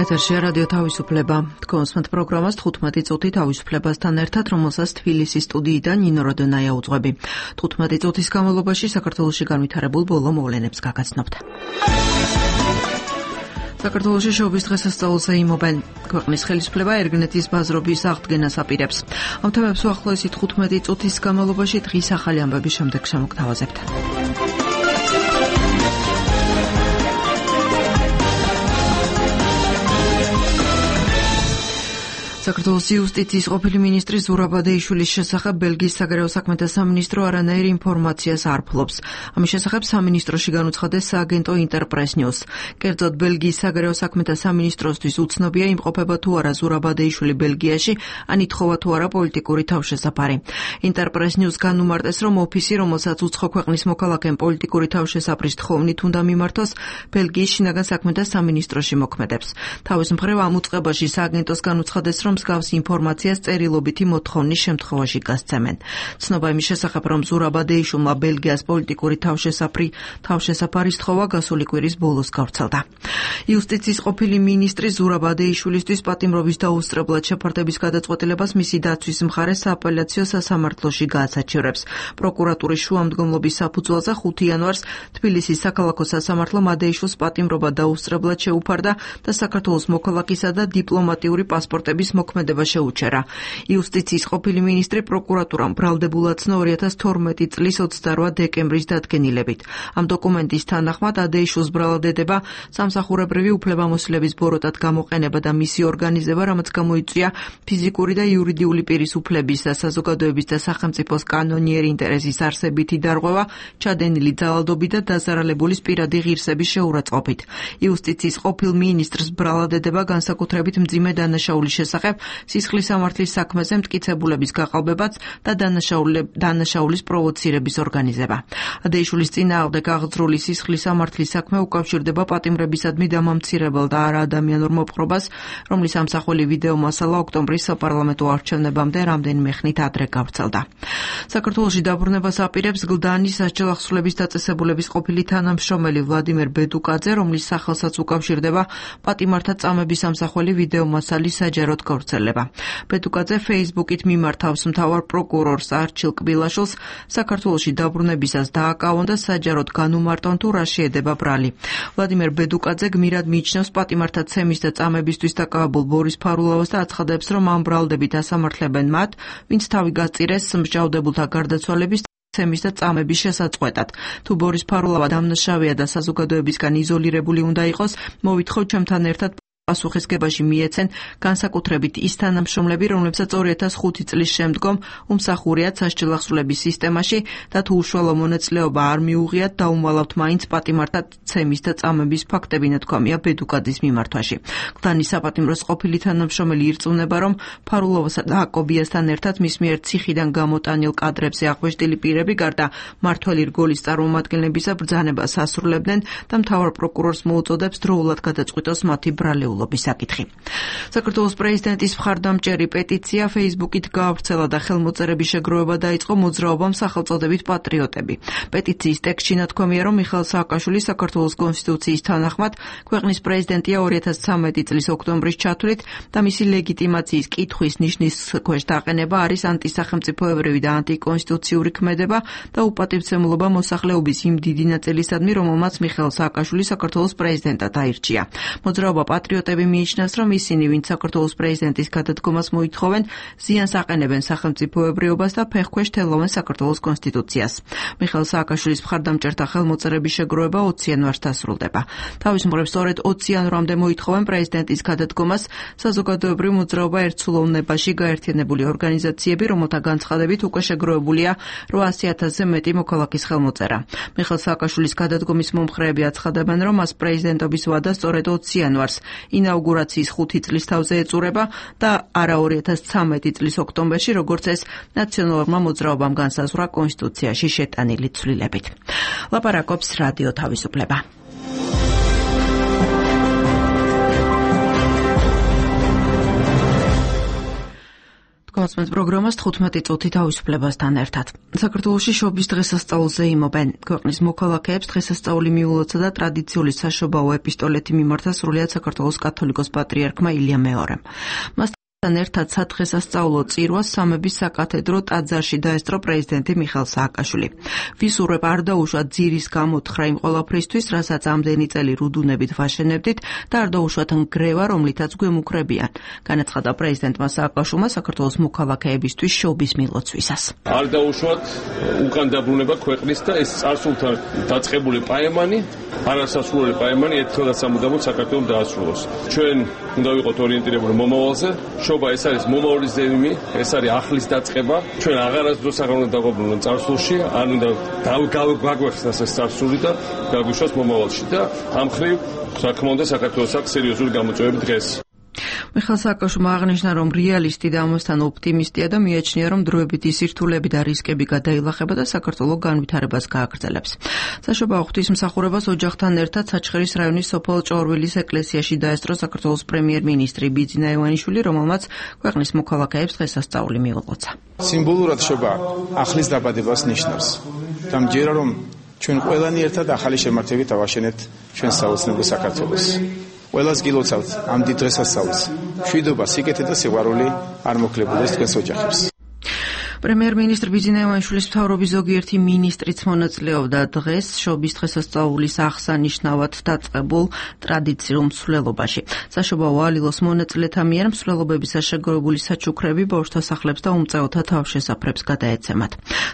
ეთერშია რადიო თავისუფლება. თქვენს პროგრამას 15 წუთი თავისუფლებასთან ერთად, რომელსაც თბილისის სტუდიიდან ნინო როდონაია უძღვები. 15 წუთის განმავლობაში საქართველოში განვითარებულ ბოლო მოვლენებს გაგაცნობთ. საქართველოში შოუის დღესასწაულზე იმობენ. ქვეყნის ხელისუფლება ერგნეთის ბაზრობის აღდგენას აპირებს. ამ თემებს უახლოესი 15 წუთის განმავლობაში დღის ახალი ამბების შემდეგ შემოგთავაზებთ. საქართველოს იუსტიციის ყოფილი მინისტრი ზურაბ ადეიშვილის შესახებ ბელგიის საგარეო საქმეთა სამინისტრო არანაირ ინფორმაციას არ ფლობს. ამის შესახებ სამინისტროში განუცხადეს სააგენტო ინტერპრეს ნიუს. კერძოდ ბელგიის საგარეო საქმეთა სამინისტროსთვის უცნობია იმყოფება თუ არა ზურაბ ადეიშვილი ბელგიაში, ან ითხოვა თუ არა პოლიტიკური თავშესაფარი. ინტერპრეს ნიუს განუმარტეს, რომ ოფისი, რომელსაც უცხო ქვეყნის მოქალაქემ პოლიტიკური თავშესაფრის თხოვნით უნდა მიმართოს, ბელგიის შინაგან საქმეთა სამინისტროში მოქმედებს. თავის მხრივ ამ უწყებაში სააგენტოს განუცხადეს, რომ მსგავსი ინფორმაციას წერილობითი მოთხოვნის შემთხვევაში გასცემენ. ცნობა იმის შესახებ, რომ ზურაბ ადეიშვილმა ბელგიას პოლიტიკური თავშესაფარის თხოვა გასული კვირის ბოლოს გავრცელდა. იუსტიციის ყოფილი მინისტრი ზურაბ ადეიშვილისთვის პატიმრობის დაუსწრებლად შეფარდების გადაწყვეტილებას მისი დაცვის მხარე სააპელაციო სასამართლოში გაასაჩივრებს. პროკურატურის შუამდგომლობის საფუძველზე 5 იანვარს თბილისის საქალაქო სასამართლომ ადეიშვილს პატიმრობა დაუსწრებლად შეუფარდა და საქართველოს მოქალაქისა და დიპლომატიური პასპორტების მოქმედება შეუჩერა. იუსტიციის ყოფილი მინისტრი პროკურატურამ ბრალდებულად ცნო 2012 წლის 28 დეკემბრის დადგენილებით. ამ დოკუმენტის თანახმად ადეიშვილს ბრალდება სამსახურებრივი უფლებამოსილების ბოროტად გამოყენება და მისი ორგანიზება, რამაც გამოიწვია ფიზიკური და იურიდიული პირის უფლების და საზოგადოების და სახელმწიფოს კანონიერი ინტერესის არსებითი დარღვევა, ჩადენილი ძალადობით და დაზარალებულის პირადი ღირსების შეურაცხყოფით. იუსტიციის ყოფილ მინისტრს ბრალდება განსაკუთრებით მძიმე დანაშაულის შესახებ, სისხლის სამართლის საქმეზე მტკიცებულების გაყალბებაც და დანაშაულის პროვოცირების ორგანიზება. ადეიშვილის წინააღმდეგ აღძრული სისხლის სამართლის საქმე უკავშირდება პატიმრებისადმი დამამცირებელ და არაადამიანურ მოპყრობას, რომლის ამსახველი ვიდეო მასალა ოქტომბრის საპარლამენტო არჩევნებამდე რამდენიმე ხნით ადრე გავრცელდა. საქართველოში დაბრუნებას აპირებს გლდანის სასჯელ-ახსრულების დაწესებულების ყოფილი თანამშრომელი ვლადიმერ ბედუკაძე, რომლის სახელსაც უკავშირდება პატიმართა წამების ამსახველი ვიდეო მასალის საჯაროდ გავრცელება. ბედუკაძე Facebook-ით მიმართავს მთავარ პროკურორს არჩილ კბილაშვილს საქართველოში დაბრუნებისას დააკავონ და საჯაროდ განუმარტონ თუ რა შეედება ბრალი. ვლადიმერ ბედუკაძე გმირად მიიჩნევს პატიმართა ცემის და წამებისთვის დაკავებულ ბორის ფარულავას და აცხადებს, რომ ამ ბრალდებით ასამართლებენ მათ, ვინც თავი გაწირეს მსჯავრდებულთა გარდაცვალების ცემის და წამების შესაწყვეტად. თუ ბორის ფარულავა დამნაშავეა და საზოგადოებისგან იზოლირებული უნდა იყოს, მოვითხოვ ჩემთან ერთად პასუხისგებაში მიეცენ განსაკუთრებით ის თანამშრომლები, რომლებსაც 2005 წლის შემდგომ უმსახურიათ სასჯელ-ახსრულების სისტემაში და თუ უშუალო მონაწილეობა არ მიუღიათ, დაუმალავთ მაინც პატიმართა ცემის და წამების ფაქტები, ნათქვამია ბედუკაძის მიმართვაში. გლდანის საპატიმროს ყოფილი თანამშრომელი ირწმუნება, რომ ფარულოვასა და აკობიასთან ერთად მის მიერ ციხიდან გამოტანილ კადრებზე აღვეშტილი პირები გარდა მმართველი რგოლის წარმომადგენლებისა ბრძანებას ასრულებდნენ და მთავარ პროკურორს მოუწოდებს დროულად გადაწყვიტოს მათი ბრალეულობა. საქართველოს პრეზიდენტის მხარდამჭერი პეტიცია Facebook-ით გაავრცელა და ხელმოწერების შეგროვება დაიწყო მოძრაობამ სახელწოდებით პატრიოტები. პეტიციის ტექსტში ნათქვამია, რომ მიხეილ სააკაშვილი საქართველოს კონსტიტუციის თანახმად ქვეყნის პრეზიდენტია 2013 წლის ოქტომბრის ჩათვლით და მისი ლეგიტიმაციის კითხვის ნიშნის ქვეშ დაყენება არის ანტისახელმწიფოებრივი და ანტიკონსტიტუციური ქმედება და უპატივცემულობა მოსახლეობის იმ დიდი ნაწილისადმი, რომელმაც მიხეილ სააკაშვილი საქართველოს პრეზიდენტად აირჩია. მოძრაობა პატრიოტები მიიჩნევს, რომ ისინი, ვინც საქართველოს პრეზიდენტის გადადგომას მოითხოვენ, ზიანს აყენებენ სახელმწიფოებრიობას და ფეხქვეშ თელავენ საქართველოს კონსტიტუციას. მიხეილ სააკაშვილის მხარდამჭერთა ხელმოწერების შეგროვება 20 იანვარს დასრულდება. თავის მხრივ, სწორედ 20 იანვრამდე მოითხოვენ პრეზიდენტის გადადგომას საზოგადოებრივი მოძრაობა ერთსულოვნებაში გაერთიანებული ორგანიზაციები, რომელთა განცხადებით უკვე შეგროვებულია 800,000-ზე მეტი მოქალაქის ხელმოწერა. მიხეილ სააკაშვილის გადადგომის მომხრეები აცხადებენ, რომ მას პრეზიდენტობის ვადა სწორედ 20 იანვარს ინაუგურაციის 5 წლის თავზე ეწურება და არა 2013 წლის ოქტომბერში, როგორც ეს ნაციონალურმა მოძრაობამ განსაზღვრა კონსტიტუციაში შეტანილი ცვლილებით. ლაპარაკობს რადიო თავისუფლება. თქვენს პროგრამას 15 წუთი თავისუფლებასთან ერთად. საქართველოში შობის დღესასწაულზე იმობენ. ქვეყნის მოქალაქეებს დღესასწაული მიულოცა და ტრადიციული საშობაო ეპისტოლეთი მიმართა სრულიად საქართველოს კათოლიკოს პატრიარქმა ილია მეორემ. მასთან ერთად სადღესასწაულო წირვას სამების საკათედრო ტაძარში დაესწრო პრეზიდენტი მიხეილ სააკაშვილი. ვისურვებ არ დაუშვათ ძირის გამოთხრა იმ ყველაფრისთვის, რასაც ამდენი წელი რუდუნებით ვაშენებდით და არ დაუშვათ ნგრევა, რომლითაც გვემუქრებიან. განაცხადა პრეზიდენტმა სააკაშვილმა საქართველოს მოქალაქეებისთვის შობის მილოცვისას. არ დაუშვათ უკან დაბრუნება ქვეყნის და ეს წარსულთან დაწყებული პაემანი, არასასრულებელი პაემანი ერთხელ და სამუდამოდ საქართველოს დაასრულოს. ჩვენ უნდა ვიყოთ ორიენტირებული მომავალზე. შობა ეს არის მომავლის ზეიმი, ეს არის ახლის დაწყება. ჩვენ აღარასდროს აღარ უნდა დავაბრუნოთ წარსულში, არ უნდა გაგვეხსნას ეს წარსული და გაგვიშვას მომავალში და ამ ხრივ რა თქმა უნდა საქართველოს აქვს სერიოზული გამოწვევები დღეს. მიხეილ სააკაშვილმა აღნიშნა, რომ რეალისტი და ამასთან ოპტიმისტია და მიაჩნია, რომ დროებითი სირთულეები და რისკები გადაილახება და საქართველო განვითარებას გააგრძელებს. საშობაო ღვთისმსახურებას ოჯახთან ერთად საჩხერის რაიონის სოფელ ჭორვილის ეკლესიაში დაესწრო საქართველოს პრემიერ-მინისტრი ბიძინა ივანიშვილი, რომელმაც ქვეყნის მოქალაქეებს დღესასწაული მიულოცა. სიმბოლურად შობა ახლის დაბადებას ნიშნავს. დამჯერა რომ ჩვენ ყველანი ერთად ახალი შემართებით ავაშენებთ ჩვენ საოცნებო საქართველოს. ყველას გილოცავთ ამ დიდ დღესასწაულს. მშვიდობა, სიკეთე და სიყვარული არ მოქლებოდეს თქვენს ოჯახებს. პრემიერ-მინისტრ ბიძინა ივანიშვილის მთავრობის ზოგიერთი მინისტრიც მონაწილეობდა დღეს შობის დღესასწაულის აღსანიშნავად დაწყებულ ტრადიციულ მსვლელობაში. საშობაო ალილოს მონაწილეთა მიერ მსვლელობებისას შეგროვებული საჩუქრები ბავშვთა სახლებს და უმწეოთა თავშესაფრებს გადაეცემათ.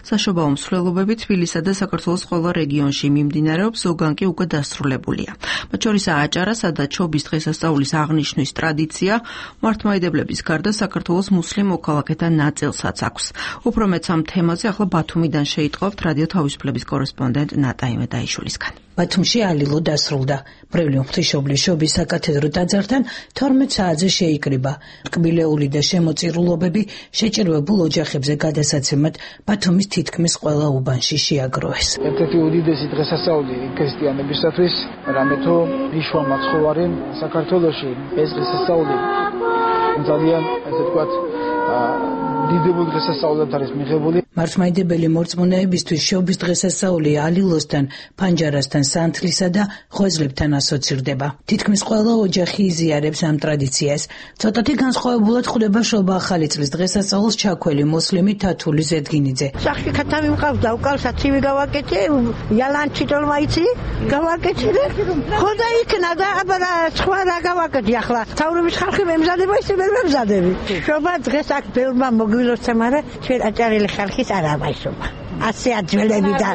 საშობაო მსვლელობები თბილისსა და საქართველოს ყველა რეგიონში მიმდინარეობს, ზოგან კი უკვე დასრულებულია. მათ შორისაა აჭარა, სადაც შობის დღესასწაულის აღნიშვნის ტრადიცია მართლმადიდებლების გარდა საქართველოს მუსლიმ მოქალაქეთა ნაწილსაც აქვს. უფრო მეც ამ თემაზე ახლა ბათუმიდან შეიტყობთ რადიო თავისუფლების კორესპონდენტ ნატა იმედაიშვილისგან. ბათუმში ალილო დასრულდა. ბრევლიო ღვთისმშობლის შობის საკათედრო ტაძართან 12 საათზე შეიკრიბა. რკბილეული და შემოწირულობები შეჭირვებულ ოჯახებზე გადასაცემად ბათუმის თითქმის ყველა უბანში შეაგროვეს. ერთ-ერთი უდიდესი დღესასწაული ქრისტიანებისათვის, რამე თუ იშვა მაცხოვარი საქართველოში ეს დღესასწაული ძალიან ესე ვთქვათ დიდებულ დღესასწაულად არის მიღებული. მართლმადიდებელი მორწმუნეებისთვის შობის დღესასწაული ალილოსთან, ფანჯარასთან, სანთლისა და ღვიძლებთან ასოცირდება. თითქმის ყველა ოჯახი იზიარებს ამ ტრადიციას. ცოტათი განსხვავებულად ხვდება შობა ახალი წლის დღესასწაულს ჩაქველი მოსლიმი თათული ზედგინიძე. სახში ქათამი მყავს და უკალსა ცივი გავაკეთე, яланჩი ტოლმაიცი გავაკეთე და ხოდა იქნა და აბა სხვა რა გავაკეთე ახლა. თავრობის ხალხი მემზადება ისე ვერ მემზადები. შობა დღეს აქ ბევრმა მოგვილოცე, მაგრამ ჩვენ აჭარელი ხალხის არ ამაისობა. ასე აძველები და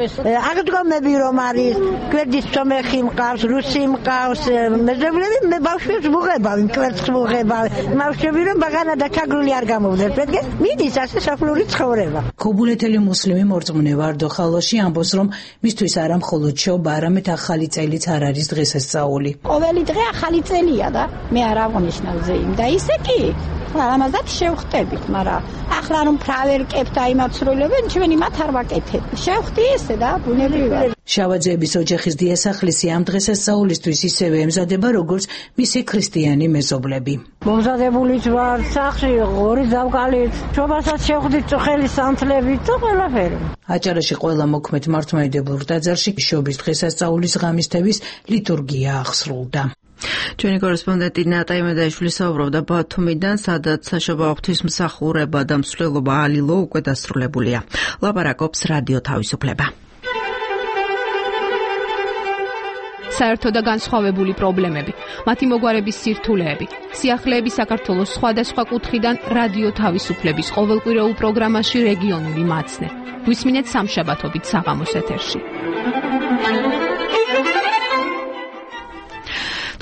აღდგომები რომ არის, გვერდის სომეხი მყავს, რუსი მყავს, მეზობლები მე ბავშვებს ვუღებავი, მკვერცხს ვუღებავი. ბავშვები რომ ბაღანა და ჩაგრული არ გამოვიდეს, պետք է მიდის ასე საფლური ცხოვრება. ქობულეთელი მუსლიმი მორწმუნე ვარდო ხალოში ამბობს, რომ მისთვის არა მხოლოდ შობა, არამედ ახალი წელიც არ არის დღესასწაული. ყოველი დღე ახალი წელია და მე არ აღნიშნავ ზეიმ და ისე კი ამაზად შევხვდებით, მაგრამ ახლა რომ ფრავერკებთ აი მაცრულებენ, ჩვენ იმათ არ ვაკეთებ. შევხვდი ესე და ბუნებრივად. შავაძეების ოჯახის დიასახლისი ამ დღესასწაულისთვის ისევე ემზადება, როგორც მისი ქრისტიანი მეზობლები. მომზადებულიც ვარ სახში, ორი ზავკალით, შობასაც შევხვდით წუხელი სანთლებით და ყველაფერი. აჭარაში ყველა მოქმედ მართლმადიდებლურ ტაძარში შობის დღესასწაულის ღამისთების ლიტურგია აღსრულდა. ჩვენი კორესპონდენტი ნატა იმედაიშვილი საუბრობდა ბათუმიდან, სადაც საშობაო ღვთისმსახურება და მსვლელობა ალილო უკვე დასრულებულია. ლაპარაკობს რადიო თავისუფლება. საერთო და განსხვავებული პრობლემები, მათი მოგვარების სირთულეები, სიახლეები საქართველოს სხვადასხვა კუთხიდან რადიო თავისუფლების ყოველკვირეულ პროგრამაში რეგიონული მაცნე. გვისმინეთ სამშაბათობით საღამოს ეთერში.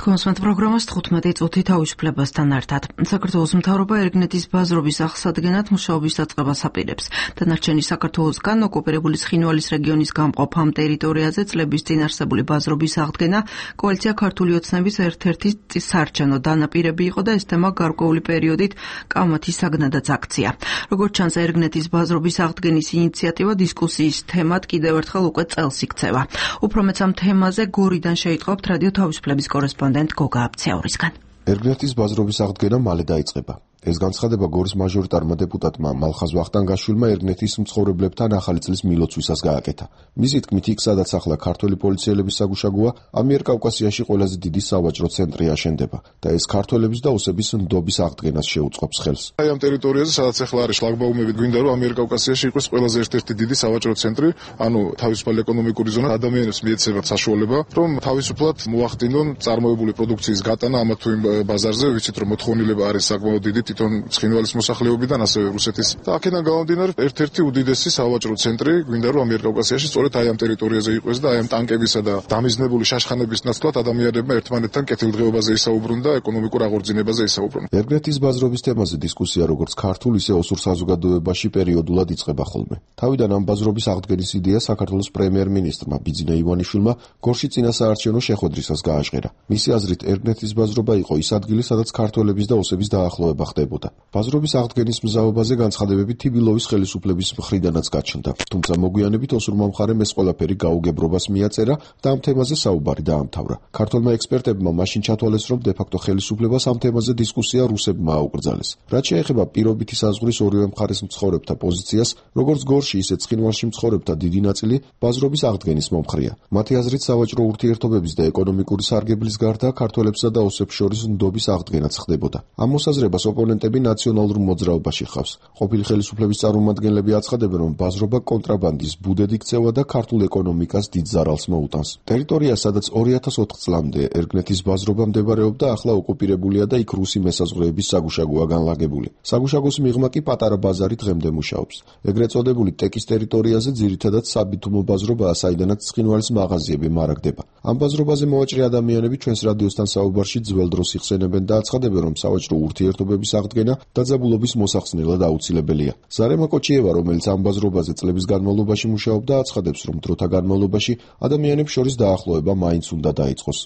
თქვენს პროგრამას 15 წუთი თავისუფლებასთან ერთად. საქართველოს მთავრობა ერგნეთის ბაზრობის აღსადგენად მუშაობის დაწყებას აპირებს. დანარჩენი საქართველოსგან ოკუპირებული ცხინვალის რეგიონის გამყოფ ამ ტერიტორიაზე წლების წინ არსებული ბაზრობის აღდგენა კოალიცია ქართული ოცნების ერთ-ერთი საარჩევნო დანაპირები იყო და ეს თემა გარკვეული პერიოდით კამათის საგნადაც აქცია. როგორც ჩანს, ერგნეთის ბაზრობის აღდგენის ინიციატივა დისკუსიის თემად კიდევ ერთხელ უკვე წელს იქცევა. უფრო მეც ამ თემაზე გორიდან შეიტყობთ რადიო თავისუფლების კორესპონდენტ გოგა აბცეურისგან. ერგნეთის ბაზრობის აღდგენა მალე დაიწყება. ეს განცხადება გორის მაჟორიტარმა დეპუტატმა მალხაზ ვახტანგაშვილმა ერგნეთის მცხოვრებლებთან ახალი წლის მილოცვისას გააკეთა. მისი თქმით, იქ სადაც ახლა ქართველი პოლიციელების საგუშაგოა, ამიერკავკასიაში ყველაზე დიდი სავაჭრო ცენტრი აშენდება და ეს ქართველების და ოსების ნდობის აღდგენას შეუწყობს ხელს. აი ამ ტერიტორიაზე, სადაც ახლა არის შლაგბაუმები, გვინდა რომ ამიერკავკასიაში იყოს ყველაზე ერთ-ერთი დიდი სავაჭრო ცენტრი, ანუ თავისუფალი ეკონომიკური ზონა, ადამიანებს მიეცემათ საშუალება, რომ თავისუფლად მოახდინონ წარმოებული პროდუქციის გატანა ამა თუ იმ ბაზარზე, ვიცით რომ მოთხოვნილება არის საკმაოდ დიდი თვითონ ცხინვალის მოსახლეობიდან, ასევე რუსეთის. და აქედან გამომდინარე, ერთ-ერთი უდიდესი სავაჭრო ცენტრი გვინდა რომ ამიერკავკასიაში სწორედ აი ამ ტერიტორიაზე იყოს და აი ამ ტანკებისა და დამიზნებული შაშხანების ნაცვლად ადამიანებმა ერთმანეთთან კეთილდღეობაზე ისაუბრონ და ეკონომიკურ აღორძინებაზე ისაუბრონ. ერგნეთის ბაზრობის თემაზე დისკუსია როგორც ქართულ, ისე ოსურ საზოგადოებაში პერიოდულად იწყება ხოლმე. თავიდან ამ ბაზრობის აღდგენის იდეა საქართველოს პრემიერ-მინისტრმა ბიძინა ივანიშვილმა გორში წინასაარჩევნო შეხვედრისას გააჟღერა. მისი აზრით, ერგნეთის ბაზრობა იყო ის ადგილი, სადაც ქართველების და ოსების დაახლოება ხდებოდა. ბაზრობის აღდგენის მზაობაზე განცხადებები თიბილოვის ხელისუფლების მხრიდანაც გაჩნდა. თუმცა მოგვიანებით ოსურმა მხარემ ეს ყველაფერი გაუგებრობას მიაწერა და ამ თემაზე საუბარი დაამთავრა. ქართველმა ექსპერტებმა მაშინ ჩათვალეს, რომ დე-ფაქტო ხელისუფლებას ამ თემაზე დისკუსია რუსებმა აუკრძალეს. რაც შეეხება პირობითი საზღვრის ორივე მხარეს მცხოვრებთა პოზიციას, როგორც გორში, ისე ცხინვალში მცხოვრებთა დიდი ნაწილი ბაზრობის აღდგენის მომხრეა. მათი აზრით, სავაჭრო ურთიერთობების და ეკონომიკური სარგებლის გარდა ქართველებსა და ოსებს შორის ნდობის აღდგენაც ხდებოდა. ამ მოსაზრებას ოპონენტები ნაციონალურ მოძრაობაში ხავს. ყოფილი ხელისუფლების წარმომადგენლები აცხადებენ, რომ ბაზრობა კონტრაბანდის ბუდედ იქცევა და ქართულ ეკონომიკას დიდ ზარალს მოუტანს. ტერიტორია, სადაც 2004 წლამდე ერგნეთის ბაზრობა მდებარეობდა, ახლა ოკუპირებულია და იქ რუსი მესაზღვრეების საგუშაგოა განლაგებული. საგუშაგოს მიღმა კი პატარა ბაზარი დღემდე მუშაობს. ეგრეთ წოდებული ტეკის ტერიტორიაზე ძირითადად საბითუმო ბაზრობაა, საიდანაც ცხინვალის მაღაზიები მარაგდება. ამ ბაზრობაზე მოვაჭრე ადამიანები ჩვენს რადიოსთან საუბარში ძველ დროს იხსენებენ და აცხადებენ, რომ სავაჭრო ურთიერთობების აღდგენა დაძაბულობის მოსახსნელად აუცილებელია. ზარემა კოჩიევა, რომელიც ამ ბაზრობაზე წლების განმავლობაში მუშაობდა, აცხადებს, რომ დროთა განმავლობაში ადამიანებს შორის დაახლოება მაინც უნდა დაიწყოს.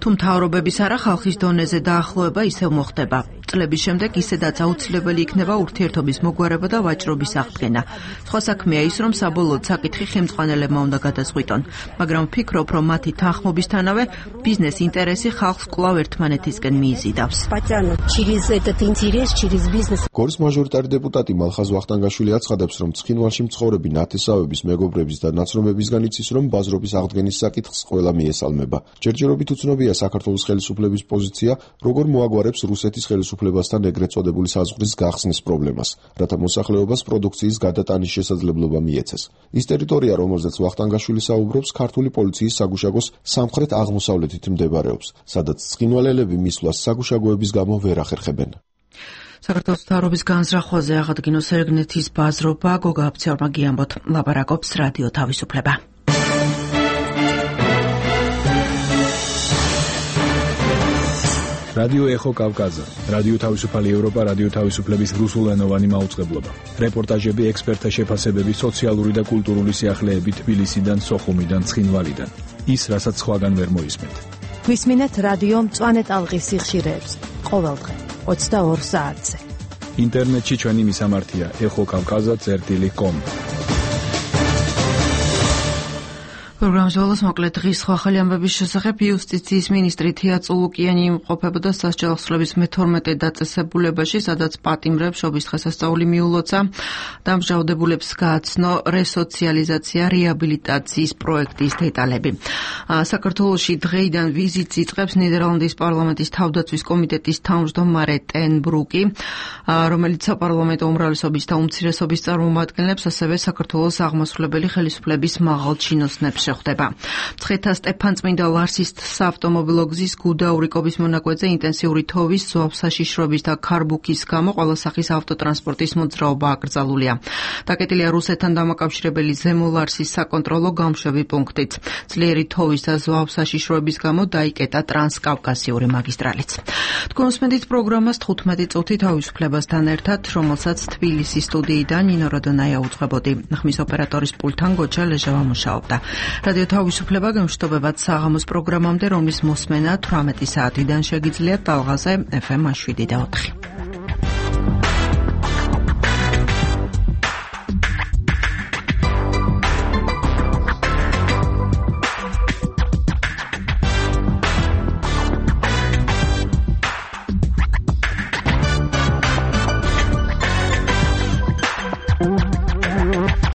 თუ მთავრობების არა ხალხის დონეზე დაახლოება ისევ მოხდება. წლების შემდეგ ისედაც აუცილებელი იქნება ურთიერთობის მოგვარება და ვაჭრობის აღდგენა. სხვა საქმეა ის, რომ საბოლოოდ საკითხი ხელმძღვანელებმა უნდა გადაწყვიტონ, მაგრამ ვფიქრობ, რომ მათი თანხმობისთანავე ბიზნეს ინტერესი ხალხს კვლავ ერთმანეთისკენ მიიზიდავს. გორის მაჟორიტარი დეპუტატი მალხაზ ვახტანგაშვილი აცხადებს, რომ ცხინვალში მცხოვრები ნათესავების, მეგობრების და ნაცნობებისგან იცის, რომ ბაზრობის აღდგენის საკითხს ყველა მიესალმება. ჯერჯერობით უცნობია საქართველოს ხელისუფლების პოზიცია, როგორ მოაგვარებს რუსეთის ხელისუფლებასთან ეგრეთ წოდებული საზღვრის გახსნის პრობლემას, რათა მოსახლეობას პროდუქციის გადატანის შესაძლებლობა მიეცეს. ის ტერიტორია, რომელზეც ვახტანგაშვილი საუბრობს, ქართული პოლიციის საგუშაგოს სამხრეთ აღმოსავლეთით მდებარეობს, სადაც ცხინვალელები მისვლას საგუშაგოების გამო ვერ ახერხებენ. საქართველოს მთავრობის განზრახვაზე აღადგინოს ერგნეთის ბაზრობა, გოგა აფციორმა გიამბოთ, ლაპარაკობს რადიო თავისუფლება. რადიო ეხო კავკაზა, რადიო თავისუფალი ევროპა, რადიო თავისუფლების რუსულენოვანი მაუწყებლობა. რეპორტაჟები, ექსპერტთა შეფასებები, სოციალური და კულტურული სიახლეები თბილისიდან, სოხუმიდან, ცხინვალიდან. ის, რასაც სხვაგან ვერ მოისმენთ. გვისმინეთ რადიო მწვანე ტალღის სიხშირეებს ყოველდღე 22 საათზე. ინტერნეტში ჩვენი მისამართია ეხოკავკაზა.com. პროგრამის ბოლოს მოკლედ დღის სხვა ახალი ამბების შესახებ იუსტიციის მინისტრი თია წულუკიანი იმყოფებოდა სასჯელ ახსნების მე-12 დაწესებულებაში, სადაც პატიმრებს შობის დღესასწაული მიულოცა. დამჟაუდებულებს გააცნო რესოციალიზაცია რეაბილიტაციის პროექტის დეტალები. საქართველოში დღეიდან ვიზიტს იწყებს ნიდერლანდის პარლამენტის თავდაცვის კომიტეტის თავმჯდომარე ტენ ბრუკი, რომელიც საპარლამენტო უმრავლესობის და უმცირესობის წარმომადგენლებს, ასევე საქართველოს აღმასრულებელი ხელისუფლების მაღალ ჩინოსნებს ხდება. მცხეთა სტეფანწმინდა ლარსის საავტომობილო გზის გუდაურიკობის მონაკვეთზე ინტენსიური თოვის, ზღვავსაშიშრობის და ქარბუქის გამო ყველა სახის ავტოტრანსპორტის მოძრაობა აკრძალულია. დაკეტილია რუსეთთან დამაკავშირებელი ზემო ლარსის საკონტროლო გამშვები პუნქტიც. ძლიერი თოვის და ზღვავსაშიშროების გამო დაიკეტა ტრანსკავკასიური მაგისტრალიც. თქვენ უსმენთ პროგრამას 15 წუთი თავისუფლებასთან ერთად, რომელსაც თბილისის სტუდიიდან ნინო როდონაია უძღვებოდი. ხმის ოპერატორის პულტთან გოჩა ლეჟავა მუშაობდა. რადიო თავისუფლება გემშვიდობებად საღამოს პროგრამამდე, რომლის მოსმენა 18 საათიდან შეგიძლიათ ტალღაზე FM 7 და 4.